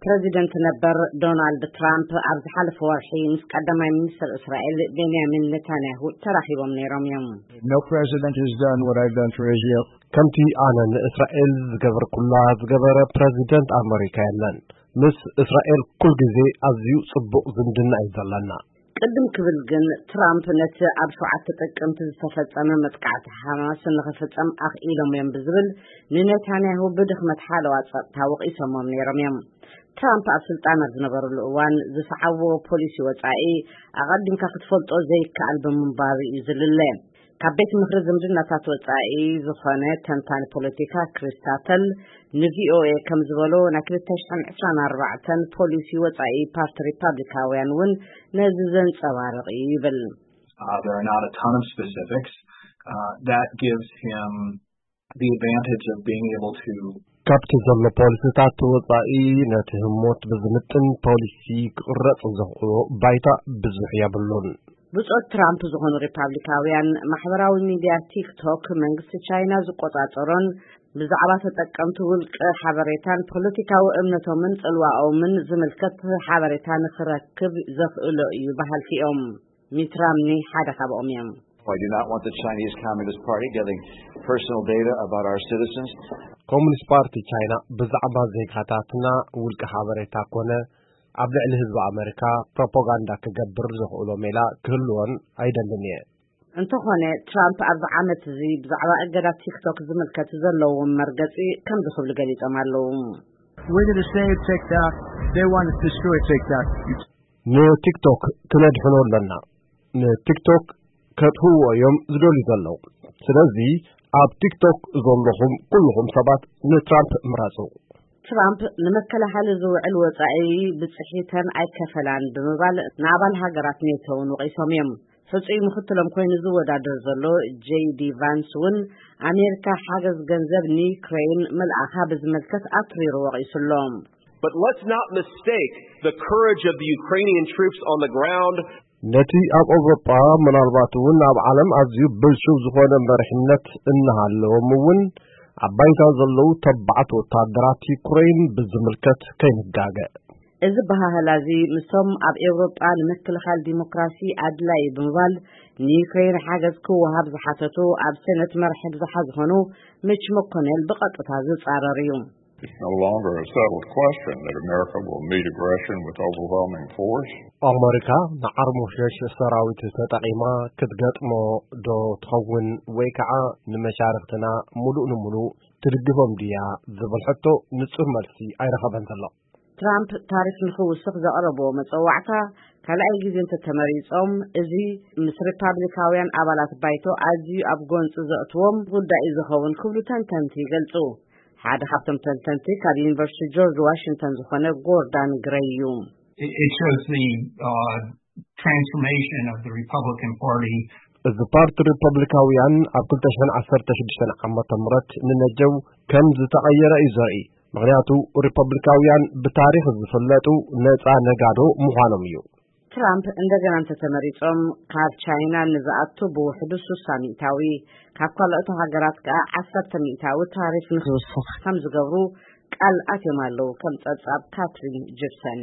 ፕረዚደንት ነበር ዶናልድ ትራምፕ ኣብ ዝሓለፈ ወርሒ ምስ ቀዳማይ ሚኒስትር እስራኤል ቤንያሚን ኔታንያሁ ተራኺቦም ነይሮም እዮም። No president has done what I've done for Israel. ከምቲ ኣነ ንእስራኤል ዝገበርኩላ ዝገበረ ፕረዚደንት ኣመሪካ የለን። ምስ እስራኤል ኩል ግዜ ኣዝዩ ጽቡቕ ዝምድና እዩ ዘለና። ቅድም ክብል ግን ትራምፕ ነቲ ኣብ ሸውዓተ ጥቅምቲ ዝተፈጸመ መጥቃዕቲ ሓማስ ንኽፍጸም ኣኽኢሎም እዮም ብዝብል ንኔታንያሁ ብድኽመት ሓለዋ ጸጥታ ወቒሶሞም ነይሮም እዮም። ትራምፕ ኣብ ስልጣን ኣብ ዝነበርሉ እዋን ዝሰዓብዎ ፖሊሲ ወጻኢ ኣቐዲምካ ክትፈልጦ ዘይከኣል ብምንባሩ እዩ ዝልለ። ካብ ቤት ምኽሪ ዝምድናታት ወጻኢ ዝኾነ ተንታኒ ፖለቲካ ክሪስታተል ንቪኦኤ ከም ዝበሎ ናይ ክልተ ሽሕን ዕስራን ኣርባዕተን ፖሊሲ ወጻኢ ፓርቲ ሪፓብሊካውያን እውን ነዚ ዘንጸባርቕ እዩ ይብል። Uh, there are not a ton of specifics. Uh, that gives him the advantage of being able to ካብቲ ዘሎ ፖሊሲታት ወጻኢ ነቲ ህሞት ብዝምጥን ፖሊሲ ክቕረጽ ዘኽእሎ ባይታ ብዙሕ የብሉን። ብጾት ትራምፕ ዝኾኑ ሪፓብሊካውያን ማሕበራዊ ሚድያ ቲክቶክ መንግስቲ ቻይና ዝቆጻጸሮን ብዛዕባ ተጠቀምቲ ውልቂ ሓበሬታን ፖለቲካዊ እምነቶምን ጽልዋኦምን ዝምልከት ሓበሬታ ንኽረክብ ዘኽእሎ እዩ በሃልቲ እዮም። ሚት ራምኒ ሓደ ካብኦም እዮም። I do not want the Chinese Communist Party getting personal data about our citizens. ኮሙኒስት ፓርቲ ቻይና ብዛዕባ ዜጋታትና ውልቂ ሓበሬታ ኮነ ኣብ ልዕሊ ህዝቢ ኣመሪካ ፕሮፓጋንዳ ክገብር ዘኽእሎ ሜላ ክህልዎን ኣይደልን እየ። እንተኾነ ትራምፕ ኣብዚ ዓመት እዚ ብዛዕባ እገዳ ቲክቶክ ዝምልከት ዘለዎም መርገጺ ከምዚ ክብሉ ገሊጾም ኣለዉ። We're going to save TikTok. They want to destroy TikTok. ንቲክቶክ ክነድሕኖ ኣለና። ንቲክቶክ ከጥፍእዎ እዮም ዝደልዩ ዘለዉ። ስለዚ ኣብ ቲክቶክ ዘለኹም ኩልኹም ሰባት ንትራምፕ ምረጹ። ትራምፕ ንመከላኸሊ ዝውዕል ወጻኢ ብጽሒተን ኣይከፈላን ብምባል ንኣባል ሃገራት ኔቶ እውን ወቒሶም እዮም። ሕጹይ ምኽትሎም ኮይኑ ዝወዳደር ዘሎ ጄዲ ቫንስ እውን ኣሜሪካ ሓገዝ ገንዘብ ንዩክሬን ምልኣኻ ብዝምልከት ኣትሪሩ ወቒሱሎም። But let's not mistake the courage of the Ukrainian troops on the ground. ነቲ ኣብ ኣውሮጳ ምናልባት እውን ኣብ ዓለም ኣዝዩ ብልሹው ዝኾነ መሪሕነት እናሃለዎም እውን ኣብ ባይታ ዘለዉ ተባዓት ወታደራት ዩክሬን ብዝምልከት ከይንጋገ። እዚ በሃህላ እዚ ምስቶም ኣብ ኤውሮጳ ንምክልኻል ዲሞክራሲ ኣድላይ ብምባል ንዩክሬን ሓገዝ ክወሃብ ዝሓተቱ ኣብ ሴነት መራሒ ብዝሓ ዝኾኑ ሚች መኮኔል ብቐጥታ ዝጻረር እዩ። It's no longer a settled question that America will meet aggression with overwhelming force. ኣመሪካ ንዓርሞሸሽ ሰራዊት ተጠቒማ ክትገጥሞ ዶ ትኸውን ወይ ከዓ ንመሻርክትና ሙሉእ ንሙሉእ ትድግፎም ድያ ዝብል ሕቶ ንጹር መልሲ ኣይረኸበን ዘሎ። ትራምፕ ታሪፍ ንኽውስኽ ዘቕረብዎ መጸዋዕታ ካልኣይ ግዜ እንተተመሪጾም፣ እዚ ምስ ሪፓብሊካውያን ኣባላት ባይቶ ኣዝዩ ኣብ ጎንጺ ዘእትዎም ጉዳይ እዩ ዝኸውን ክብሉ ተንተንቲ ይገልጹ። ሓደ ካብቶም ተንተንቲ ካብ ዩኒቨርሲቲ ጆርጅ ዋሽንግተን ዝኾነ ጎርዳን ግረይ እዩ። It, it shows the uh, transformation of the Republican Party. እዚ ፓርቲ ሪፐብሊካውያን ኣብ ክልተ ሽሕን ዓሰርተ ሽዱሽተን ዓመተ ምህረት ንነጀው ከም ዝተቐየረ እዩ ዘርኢ። ምኽንያቱ ሪፐብሊካውያን ብታሪኽ ዝፍለጡ ነፃ ነጋዶ ምዃኖም እዩ። ትራምፕ እንደገና እንተተመሪጾም ካብ ቻይና ንዝኣቱ ብውሕዱ ሱሳ ሚእታዊ፣ ካብ ካልኦት ሃገራት ከኣ ዓሰርተ ሚእታዊ ታሪፍ ንክውስኽ ከም ዝገብሩ ቃል ኣትዮም ኣለዉ። ከም ጸብጻብ ካትሪን ጂፕሰን።